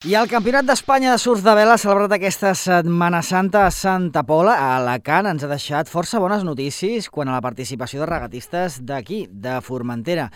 I el Campionat d'Espanya de surf de vela celebrat aquesta Setmana Santa a Santa Pola, a Alacant, ens ha deixat força bones notícies quant a la participació de regatistes d'aquí, de Formentera.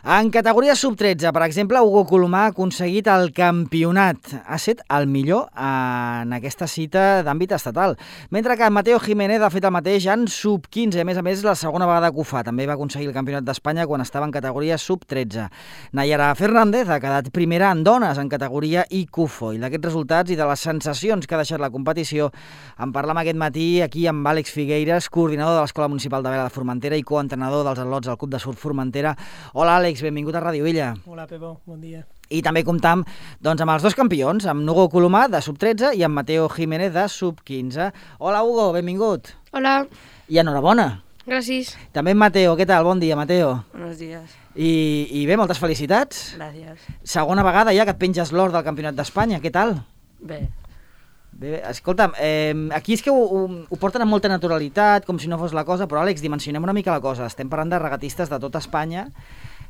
En categoria sub-13, per exemple, Hugo Colomà ha aconseguit el campionat. Ha estat el millor en aquesta cita d'àmbit estatal. Mentre que Mateo Jiménez ha fet el mateix en sub-15. A més, la segona vegada que ho fa. També va aconseguir el Campionat d'Espanya quan estava en categoria sub-13. Nayara Fernández ha quedat primera en dones en categoria ICUFO. I d'aquests resultats i de les sensacions que ha deixat la competició en parlam aquest matí aquí amb Àlex Figueiras, coordinador de l'Escola Municipal de Vela de Formentera i coentrenador dels atlots del Club de Surf Formentera. Hola Àlex, benvingut a Ràdio Illa. Hola Pepo, bon dia. I també comptam amb els dos campions, amb Hugo Colomà de sub-13 i amb Mateo Jiménez de sub-15. Hola Hugo, benvingut. Hola. I enhorabona. Gràcies. També Mateo, què tal? Bon dia, Mateo. Buenos días. I bé, moltes felicitats. Gràcies. Segona vegada ja que et penges l'or del Campionat d'Espanya, què tal? Bé. Bé, escolta'm, aquí és que ho porten amb molta naturalitat, com si no fos la cosa, però Àlex, dimensionem una mica la cosa. Estem parlant de regatistes de tota Espanya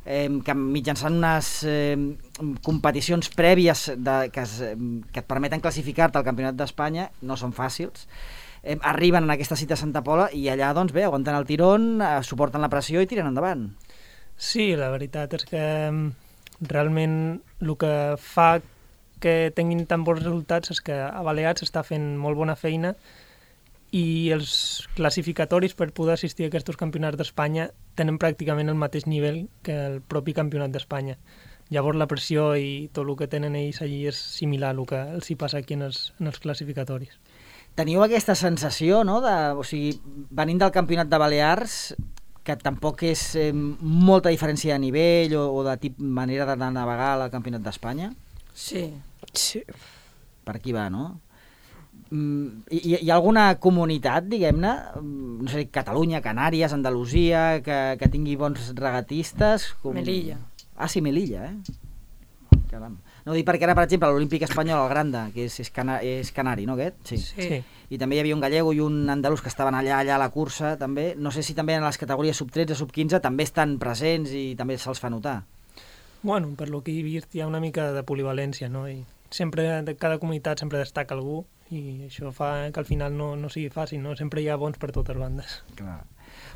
que mitjançant unes competicions prèvies que et permeten classificar-te al Campionat d'Espanya, no són fàcils, arriben en aquesta cita a Santa Pola i allà, doncs bé, aguanten el tirón, suporten la pressió i tiren endavant. Sí, la veritat és que realment el que fa que tinguin tan bons resultats és que a Balears s'està fent molt bona feina i els classificatoris per poder assistir a aquests campionats d'Espanya tenen pràcticament el mateix nivell que el propi campionat d'Espanya. Llavors la pressió i tot el que tenen ells allí és similar al que els hi passa aquí en els classificatoris. Teniu aquesta sensació, no? O sigui, venint del campionat de Balears, que tampoc és molta diferència de nivell o de manera de navegar al campionat d'Espanya? Sí. Sí. Per aquí va, no? Hi ha alguna comunitat, diguem-ne, no sé, Catalunya, Canàries, Andalusia, que tingui bons regatistes? Melilla. Ah, sí, Melilla, Caram. No, dic perquè ara, per exemple, l'Olímpic Espanyol, el Granda, que és canari, no, aquest? Sí. I també hi havia un gallego i un andalús que estaven allà a la cursa, també. No sé si també en les categories sub-13, sub-15 també estan presents i també se'ls fa notar. Bueno, per lo que he vist hi ha una mica de polivalència, no? I sempre, de cada comunitat sempre destaca algú i això fa que al final no sigui fàcil, no? Sempre hi ha bons per totes bandes. Clar.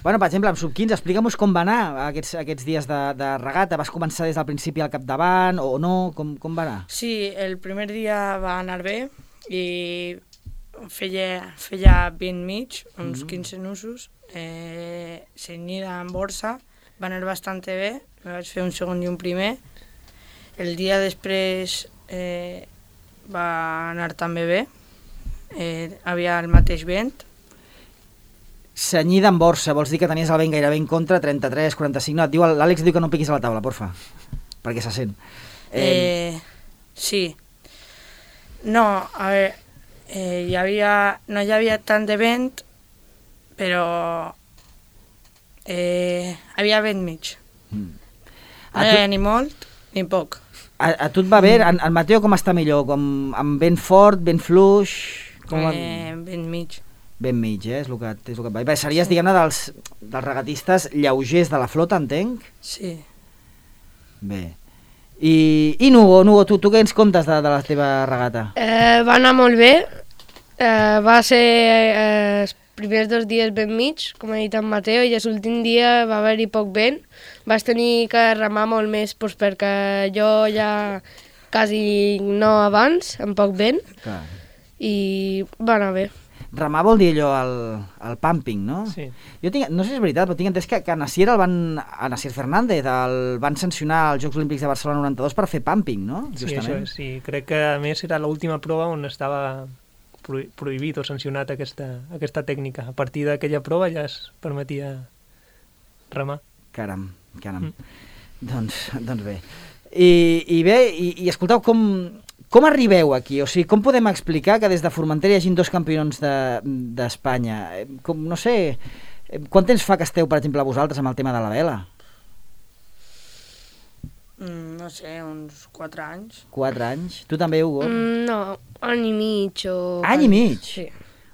Bueno, per exemple, amb sub-15, explica'm-nos com va anar aquests dies de regata. Vas començar des del principi al capdavant o no? Com va anar? Sí, el primer dia va anar bé i feia 20 mig, uns 15 nusos, cenyida en borsa, va anar bastant bé, me vaig fer un segon i un primer. El dia després va anar també bé, havia el mateix vent. Cenyida en borsa, vols dir que tenies el vent gairebé en contra, 33, 45... No, l'Àlex diu que no piquis a la taula, porfa, perquè se sent. Sí. No, a veure, no hi havia tant de vent, però havia vent mig. No hi havia ni molt ni poc. A tu et va bé? El Mateo com està millor? Amb vent fort, vent fluix? Vent mig. Vent mig, és el que et va. Bé, series, diguem-ne, dels regatistes lleugers de la flota, entenc? Sí. Bé. I Nugo, tu què ens comptes de la teva regata? Va anar molt bé. Va ser els primers 2 dies vent mig, com ha dit en Mateo, i l'últim dia va haver-hi poc vent. Vas tenir que remar molt més perquè jo ja quasi no abans, amb poc vent, Clar. I va anar bé. Remar vol dir allò, el pumping, no? Sí. Jo no sé si és veritat, però tinc entès que a Nasier Fernández el van sancionar als Jocs Olímpics de Barcelona 92 per fer pumping, no? Sí, Justament. això, sí. Crec que a més era l'última prova on estava prohibit o sancionat aquesta tècnica. A partir d'aquella prova ja es permetia remar. Caram. Doncs bé. I bé, i escolteu, com arribeu aquí? O sigui, com podem explicar que des de Formentera hi hagin 2 campions d'Espanya? No sé, quant temps fa que esteu, per exemple, vosaltres amb el tema de la vela? No sé, uns 4 anys. 4 anys? Tu també, Hugo? No, any i mig o... Any i mig? Sí.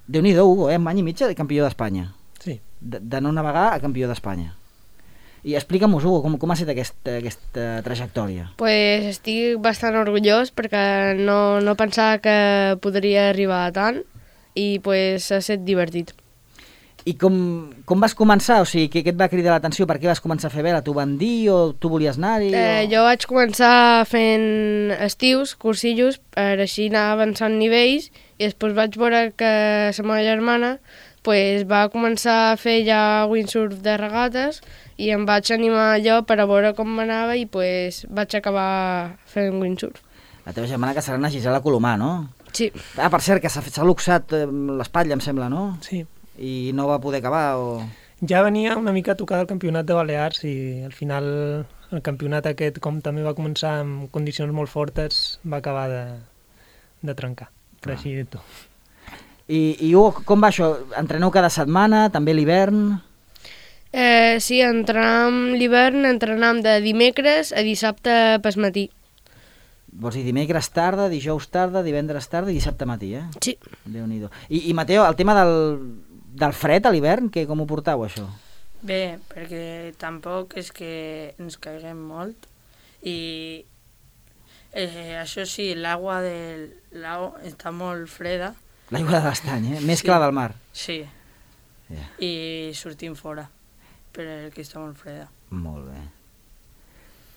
Déu-n'hi-do, Hugo, any i mig de campió d'Espanya. Sí. De no navegar a campió d'Espanya. I explica'm-ho, Hugo, com ha estat aquesta trajectòria? Pues estic bastant orgullós perquè no pensava que podria arribar a tant i pues ha estat divertit. I com vas començar? O sigui, què et va cridar l'atenció? Per què vas començar a fer vela? T'ho van dir o tu volies anar-hi? Jo vaig començar fent estius, cursillos, per així anar avançant nivells i després vaig veure que la meva germana pues, va començar a fer ja windsurf de regates i em vaig animar jo per a veure com m'anava i pues, vaig acabar fent windsurf. La teva germana que serà una Gisela Colomà, no? Sí. Per cert, que s'ha luxat l'espatlla, em sembla, no? Sí. I no va poder acabar o... Ja venia una mica tocada el campionat de Balears i al final el campionat aquest, com també va començar amb condicions molt fortes, va acabar de trencar, per així dir-ho. I Hugo, com va això? Entreneu cada setmana, també l'hivern? Sí, entrenam l'hivern, entrenam de dimecres a dissabte pel matí. Vols dir dimecres tarda, dijous tarda, divendres tarda i dissabte matí, eh? Sí. Déu-n'hi-do. I Mateo, el tema del fred a l'hivern, com ho portau, això? Bé, perquè tampoc és que ens caiguem molt i això sí, l'aigua del lago està molt freda. L'aigua de l'estany, Més que la del mar. Sí. Yeah. I sortim fora, perquè està molt freda. Molt bé.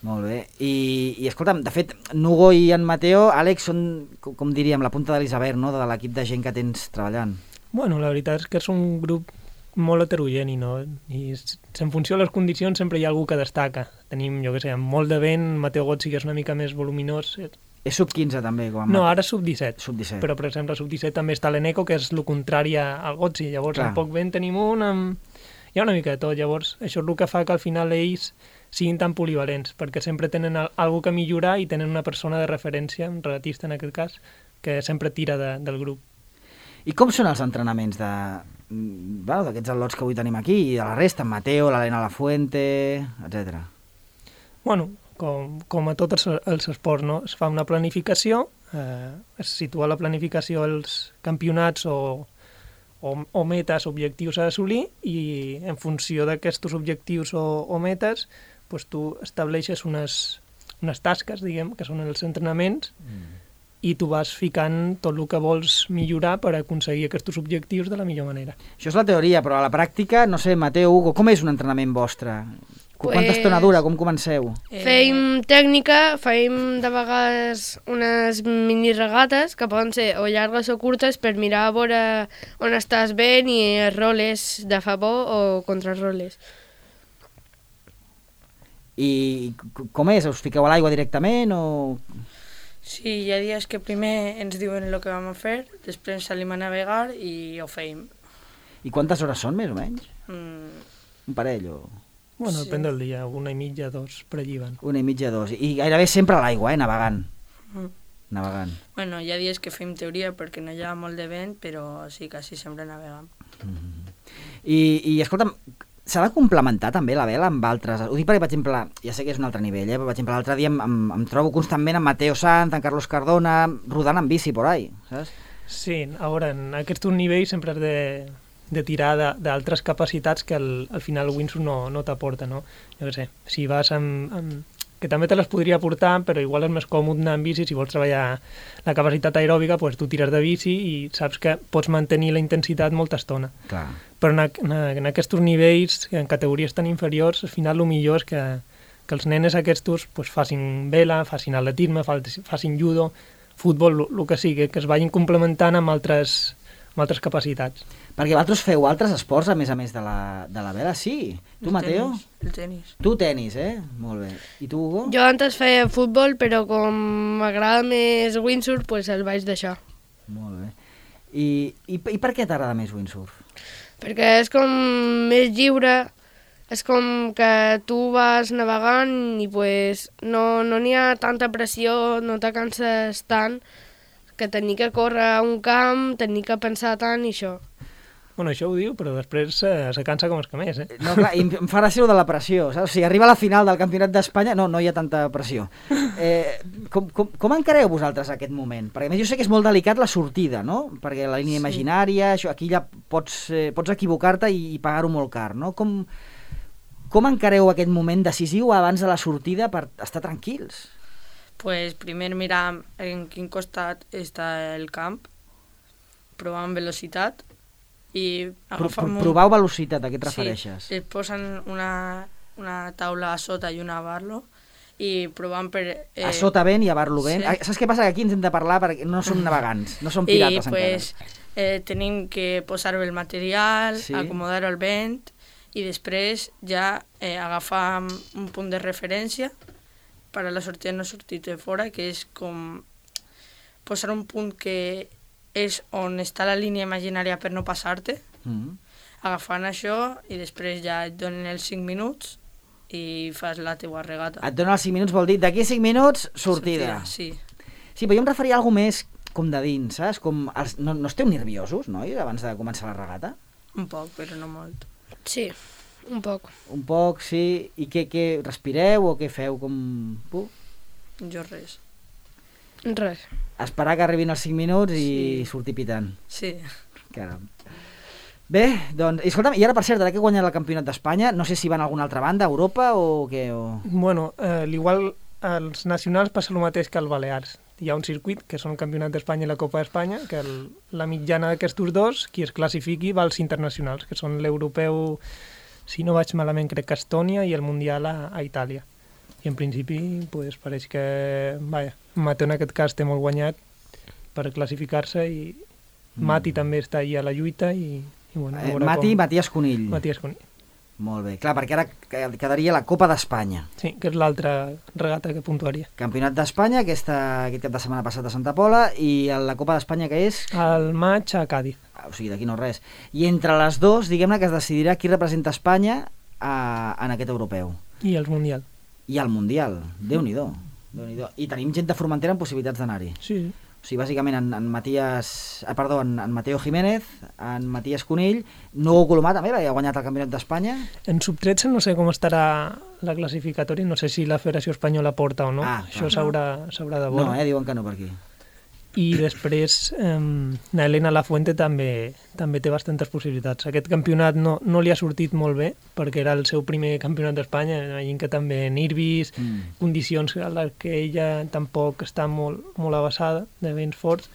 Molt bé. I escolta'm, de fet, Nugo i en Mateo, Àlex, són, com diríem, la punta de l'iceberg, no?, de l'equip de gent que tens treballant. Bueno, la veritat és que és un grup molt heterogeni, no? I en funció de les condicions sempre hi ha algú que destaca. Tenim, jo què sé, molt de vent, Mateo Gotzi, que és una mica més voluminós. És sub-15 també? No, ara sub-17. Sub-17. Però, per exemple, sub-17 també està l'Eneco, que és el contrari al Gotzi. Llavors, amb poc vent tenim hi ha una mica de tot. Llavors, això és el que fa que al final ells siguin tan polivalents, perquè sempre tenen algú que millorar i tenen una persona de referència, un regatista en aquest cas, que sempre tira del grup. I com són els entrenaments d'aquests al·lots que avui tenim aquí i de la resta, en Mateo, l'Helena Lafuente, etc. Bueno, com a tots els esports, no? Es fa una planificació, es situa la planificació als campionats o metes, objectius a assolir i en funció d'aquests objectius o metes doncs tu estableixes unes tasques, diguem, que són els entrenaments i tu vas ficant tot el que vols millorar per aconseguir aquests objectius de la millor manera. Això és la teoria, però a la pràctica, no sé, Mateo, Hugo, com és un entrenament vostre? Quanta estona dura? Com comenceu? Feim tècnica, feim de vegades unes mini regates que poden ser o llargues o curtes per mirar a veure on estàs bé i els roles de favor o contra roles. I com és? Us fiqueu a l'aigua directament o...? Sí, hi ha dies que primer ens diuen el que vam a fer, després salim a navegar i ho feim. I quantes hores són, més o menys? Un parell o...? Bueno, depèn del dia, 1,5, 2 per allí van. 1,5, 2. I gairebé sempre a l'aigua, navegant. Navegant. Bueno, hi ha dies que fem teoria perquè no hi ha molt de vent, però sí, quasi sempre navegam. I escolta'm, s'ha de complementar també la vela amb altres... Ho dic perquè, per exemple, ja sé que és un altre nivell, però, per exemple, l'altre dia em trobo constantment amb Mateo Sanz, en Carlos Cardona, rodant en bici por ahí, saps? Sí, a veure, en aquests nivells sempre has de tirar d'altres capacitats que al final el windsurf no t'aporta, no? Jo què sé, si vas que també te les podria aportar, però igual és més còmode anar amb bici, si vols treballar la capacitat aeròbica, doncs tu tires de bici i saps que pots mantenir la intensitat molta estona. Clar. Però en aquests nivells, en categories tan inferiors, al final el millor és que els nenes aquests facin vela, facin atletisme, facin judo, futbol, el que sigui, que es vagin complementant amb altres capacitats. Perquè vosaltres feu altres esports a més de la vela, sí. Tu, Mateo? El tenis. Tu tenis, Molt bé. I tu, Hugo? Jo antes feia futbol, però com m'agrada més windsurf, doncs el vaig deixar. Molt bé. I per què t'agrada més windsurf? Perquè és com més lliure, és com que tu vas navegant i pues, no n'hi ha tanta pressió, no te canses tant, que tenir que córrer a un camp, tenir que pensar tant i això. Bueno, això ho diu, però després se cansa com els que més, No, clar, i em fa gràcia de la pressió, saps? O sigui, arriba a la final del Campionat d'Espanya, no hi ha tanta pressió. Com encareu vosaltres aquest moment? Perquè a més jo sé que és molt delicat la sortida, no? Perquè la línia imaginària, això, aquí ja pots equivocar-te i pagar-ho molt car, no? Com com encareu aquest moment decisiu abans de la sortida per estar tranquils? Pues primer miram en quin costat està el camp, provant velocitat i agafam... Provau velocitat, a què et refereixes? Sí, et posen una taula a sota i una a Barlo i provant per... A sota vent i a Barlo vent. Sí. Saps què passa? Que aquí ens hem de parlar perquè no som navegants, no som pirates pues, encara. Tenim que posar bé el material, Sí. acomodar el vent i després ja agafar un punt de referència per a la sortida no sortir de fora, que és com posar un punt que és on està la línia imaginària per no passar-te, agafant això i després ja et donen els 5 minuts i fas la teua regata. Et donen els 5 minuts, vol dir d'aquí 5 minuts, sortida. Sí. Sí, però jo em referia a alguna més com de dins, saps? Com no esteu nerviosos, nois, abans de començar la regata? Un poc, però no molt. Sí, un poc. Un poc, sí. I què respireu o què feu? Com... Jo res. Res. Esperar que arribin els 5 minuts i Sí. sortir pitant. Sí. Caram. Bé, doncs, escolta'm, i ara, per cert, ara que he guanyat el Campionat d'Espanya, no sé si van a alguna altra banda, a Europa o què? O... Bueno, l'igual als nacionals passa el mateix que als Balears. Hi ha un circuit, que són el Campionat d'Espanya i la Copa d'Espanya, que la mitjana d'aquests dos, qui es classifiqui, va als internacionals, que són l'europeu, si no vaig malament, crec que a Estònia, i el mundial a Itàlia. I en principi, pues, pareix que, vaja, Mateu en aquest cas té molt guanyat per classificar-se i Mati també està ahí a la lluita i bueno, Matías Conill. Matías Conill. Molt bé. Clar, perquè ara quedaria la Copa d'Espanya. Sí, que és l'altra regata que puntuaria. Campionat d'Espanya, aquest cap de setmana passat a Santa Pola, i la Copa d'Espanya que és... Al maig a Càdiz. O sigui, d'aquí no res. I entre les dues, diguem-ne que es decidirà qui representa Espanya en aquest europeu. I el mundial. I al mundial. Déu-n'hi-do. I tenim gent de Formentera amb possibilitats d'anar-hi. Sí. O sigui, bàsicament en Mateo Jiménez, en Matías Conill, Nugo Colomà també, perquè ha guanyat el Campionat d'Espanya. En sub-13 no sé com estarà la classificatòria, no sé si la Federació Espanyola porta o no, això s'haurà de veure. No, diuen que no per aquí. I després na Elena Lafuente també té bastantes possibilitats. Aquest campionat no li ha sortit molt bé, perquè era el seu primer campionat d'Espanya, imagino que també nervis, condicions a les que ella tampoc està molt avançada, de vents forts,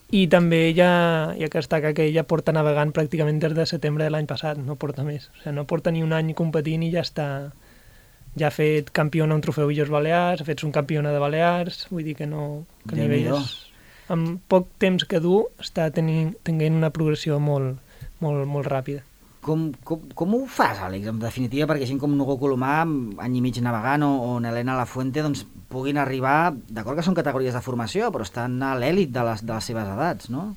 i també ella, ja que destaca que ella porta navegant pràcticament des de setembre de l'any passat, no porta més. O sigui, no porta ni un any competint i ja està... Ja ha fet campiona un trofeu Illes Balears, ha fet un campiona de Balears, vull dir que no... Que a nivell amb poc temps que du està tenint una progressió molt ràpida. Com ho fas, Àlex, en definitiva, perquè gent com Nugo Colomà, any i mig navegant, o Elena Lafuente, doncs, puguin arribar, d'acord que són categories de formació, però estan a l'èlit de les seves edats, no?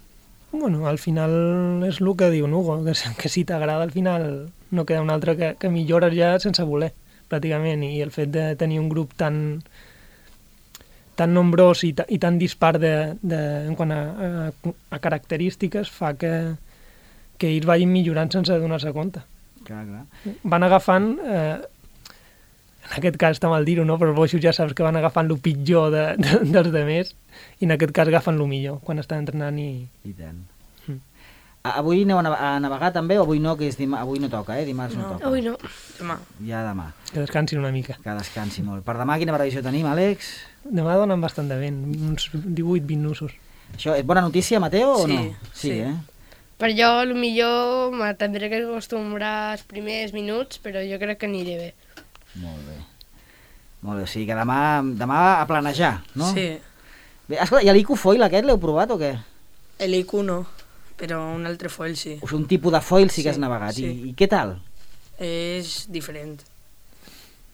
Bueno, al final és el que diu Nugo, que si t'agrada al final no queda un altre que millores ja sense voler, pràcticament, i el fet de tenir un grup tan nombrós i tan dispar en quant a característiques fa que ells vagin millorant sense donar-se compte. Clar. Van agafant, en aquest cas està mal dir-ho, no? Però els boixos ja saps que van agafant el pitjor dels demés i en aquest cas agafen el millor quan estan entrenant i... I tant. Avui aneu a navegar també o avui no, que avui no toca, dimarts no toca? Avui no. Demà. Ja demà. Que descansin una mica. Que descansi molt. Per demà quina previsió tenim, Àlex? Demà donen bastant de vent, uns 18-20 nusos. Això és bona notícia, Mateo, o no? Sí. Per jo, potser m'atendré que acostumbrar els primers minuts, però jo crec que aniré bé. Molt bé. O sigui que demà a planejar, no? Sí. Bé, escolta, i l'Ico Foil aquest l'heu provat o què? L'IQ no, però un altre foil sí. O sigui, un tipus de foil sí que has Sí, navegat. sí. I què tal? És diferent.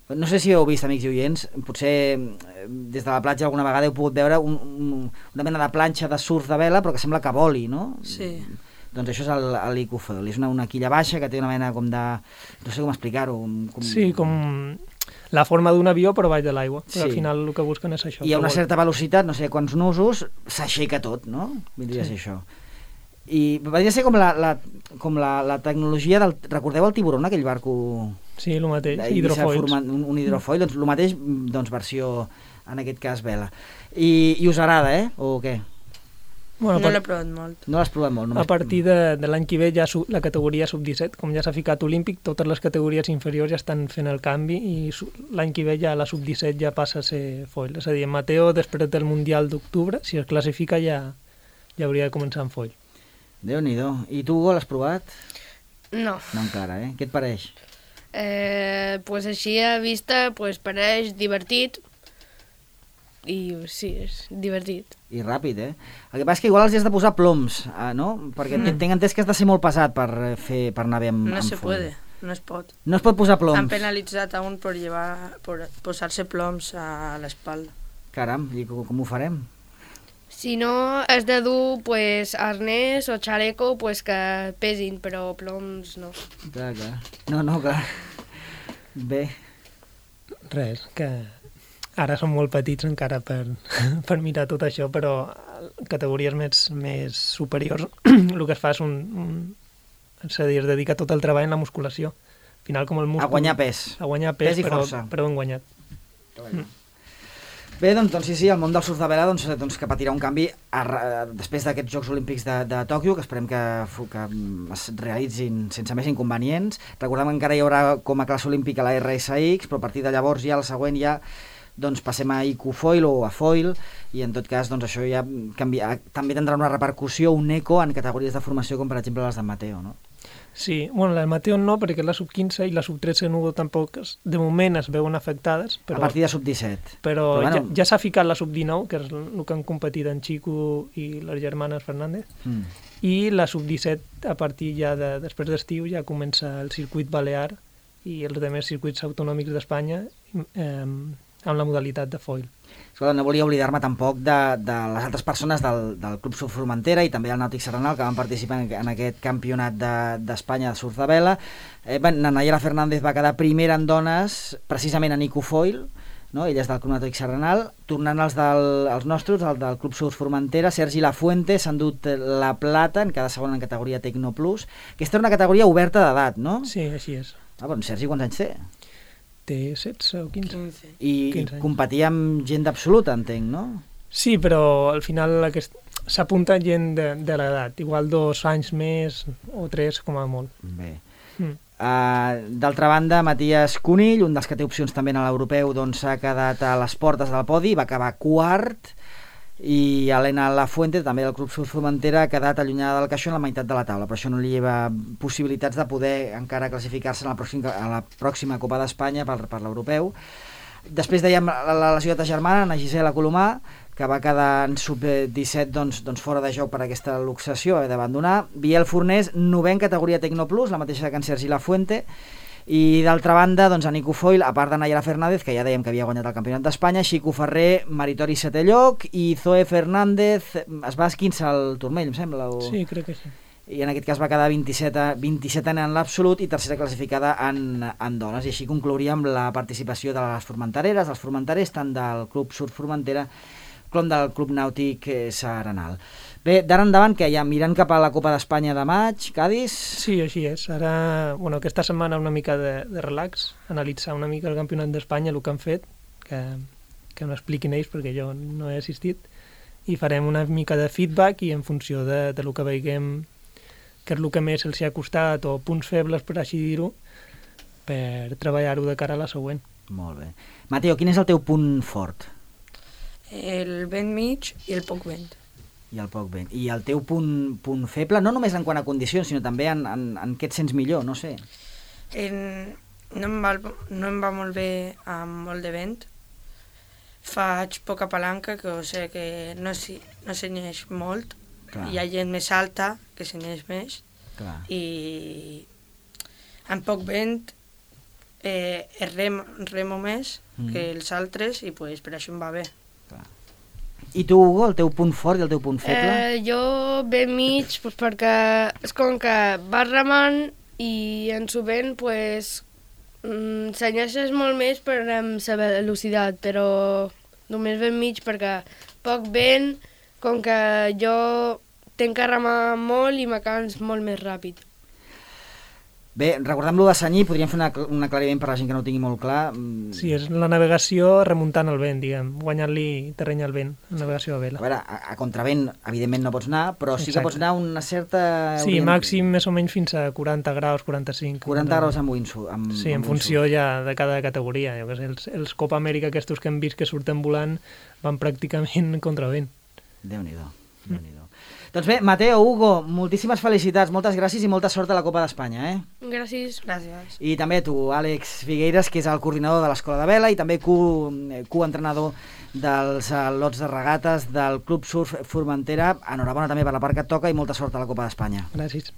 No sé si heu vist, amics i oients, potser des de la platja alguna vegada heu pogut veure una mena de planxa de surf de vela, però que sembla que voli, no? Sí. Doncs això és l'Ico Foil. És una quilla baixa que té una mena com de... No sé com explicar-ho. Sí, com la forma d'un avió però baix de l'aigua. Sí. Però al final el que busquen és això. I a una certa velocitat, no sé quants nusos, s'aixeca tot, no? Vindria a ser això. I vindria a ser com la tecnologia del... Recordeu el Tiburón, aquell barco... Sí, el mateix, hidrofoils. Un hidrofoil, doncs el mateix, doncs versió, en aquest cas, vela. I us agrada, o què? Bueno, No l'he provat molt. No l'has provat molt? A partir de l'any que ve ja la categoria sub-17, com ja s'ha ficat olímpic, totes les categories inferiors ja estan fent el canvi i l'any que ve ja la sub-17 ja passa a ser foil. És a dir, Mateo, després del Mundial d'octubre, si es classifica ja hauria de començar en foil. Déu-n'hi-do. I tu, Hugo, l'has provat? No. No encara, eh? Què et pareix? Pues així a vista pues, pareix divertit i sí, és divertit. I ràpid, eh? El que passa és que igual els has de posar ploms, no? Perquè tinc entès que has de ser molt pesat per anar bé amb No se foil. puede, no es pot. No es pot posar ploms? Han penalitzat a un per posar-se ploms a l'espalda. Caram, i com ho farem? Si no, has de dur pues, arnès o xaleco pues, que pesin, però ploms no. Clar. No, clar. Bé. Res, que ara som molt petits encara per mirar tot això, però categories més superiors el que es fa és és a dir, es dedica tot el treball en la musculació. Al final, com el múscul... A guanyar pes. A guanyar pes, i força. però ben guanyat. Bé, doncs sí, el món del surf de vela doncs que patirà un canvi després d'aquests Jocs Olímpics de Tòquio, que esperem que es realitzin sense més inconvenients. Recordem que encara hi haurà com a classe olímpica la RSX, però a partir de llavors ja el següent ja doncs passem a IQ Foil o a Foil, i en tot cas doncs això ja també tindrà una repercussió, un eco en categories de formació com per exemple les de Mateo, no? Sí, bueno, la Mateo no, perquè la sub-15 i la sub-13 nudo tampoc de moment es veuen afectades. Però, a partir de sub-17. Però bueno, ja s'ha ficat la sub-19, que és el que han competit en Chico i les germanes Fernández, i la sub-17 a partir ja després d'estiu ja comença el circuit balear i els altres circuits autonòmics d'Espanya amb la modalitat de foil. Escolta, no volia oblidar-me tampoc de les altres persones del Club Surf Formentera i també del Nàutic Serranal que van participar en aquest campionat d'Espanya de surf de vela. Nayara Fernández va quedar primera en dones precisament en IQ Foil, no? Ella és del Club Nàutic Serranal. Tornant als nostres, el del Club Surf Formentera, Sergi Lafuente s'ha endut la plata en cada segona en categoria Tecno Plus. Aquesta era una categoria oberta d'edat, no? Sí, així és. Sergi, quants anys té? Té 16 o 15. I 15 competia amb gent absoluta, entenc, no? Sí, però al final s'apunta gent de l'edat, igual 2 anys més o 3 com a molt. Bé. D'altra banda, Matías Cunill, un dels que té opcions també en l'europeu, doncs s'ha quedat a les portes del podi, va acabar quart, i Elena Lafuente, també del Club Surf Formentera, ha quedat allunyada del caixó en la meitat de la taula, però això no li lleva possibilitats de poder encara classificar-se a la pròxima Copa d'Espanya per l'europeu. Després dèiem la ciutat germana, Ana Gisela Colomà, que va quedar en sub-17 doncs fora de joc per aquesta luxació, d'abandonar. Biel Fornés, 9è en categoria Tecno Plus, la mateixa que en Sergi Lafuente. I d'altra banda, doncs, en IQ Foil, a part de Nayara Fernández, que ja dèiem que havia guanyat el Campionat d'Espanya, Xico Ferrer, meritori 7è lloc, i Zoe Fernández es va esquinçar el turmell, em sembla? Sí, crec que sí. I en aquest cas va quedar 27 en l'absolut i tercera classificada en dones. I així conclouríem la participació de les formentereres, dels formenterers, tant del Club Surf Formentera com del Club Nàutic Serranal. Bé, d'ara endavant, que ja mirant cap a la Copa d'Espanya de maig, Cádiz? Sí, així és. Ara, aquesta setmana una mica de relax, analitzar una mica el Campionat d'Espanya, el que han fet, que m'ho expliquin ells perquè jo no he assistit, i farem una mica de feedback i en funció de lo que veiem que és el que més els ha costat o punts febles, per així dir-ho, per treballar-ho de cara a la següent. Molt bé. Mateo, quin és el teu punt fort? El vent mig i el poc vent. I el poc vent. I el teu punt feble, no només en quant a condicions, sinó també en què et sents millor, no sé. No em va molt bé amb molt de vent. Faig poca palanca, que sé que no s'enyeix molt. Clar. Hi ha gent més alta que s'enyeix més. Clar. I amb poc vent remo més que els altres i pues, per això em va bé. Clar. I tu, Hugo, el teu punt fort i el teu punt feble? Jo ben mig, pues, perquè és com que vas remant i en sovint pues, s'enyeixes molt més per amb la velocitat, però només ben mig perquè poc vent, com que jo tinc que remar molt i me cans molt més ràpid. Bé, recordem-lo de senyir, podríem fer un aclariment per a la gent que no ho tingui molt clar. Sí, és la navegació remuntant el vent, diguem, guanyant-li terreny al vent, la navegació a vela. A veure, a contravent, evidentment no pots anar, però sí que pots anar una certa... Sí, màxim més o menys fins a 40 graus, 45. 40 graus amb windsurf. Sí, en funció ja de cada categoria. Jo que sé, els Copa Amèrica aquests que hem vist que surten volant van pràcticament contra vent. Déu-n'hi-do, Déu-n'hi-do. Doncs bé, Mateo, Hugo, moltíssimes felicitats, moltes gràcies i molta sort a la Copa d'Espanya, Gràcies. Gràcies. I també a tu, Àlex Figueiras, que és el coordinador de l'Escola de Vela i també coentrenador dels lots de regates del Club Surf Formentera. Enhorabona també per la part que et toca i molta sort a la Copa d'Espanya. Gràcies.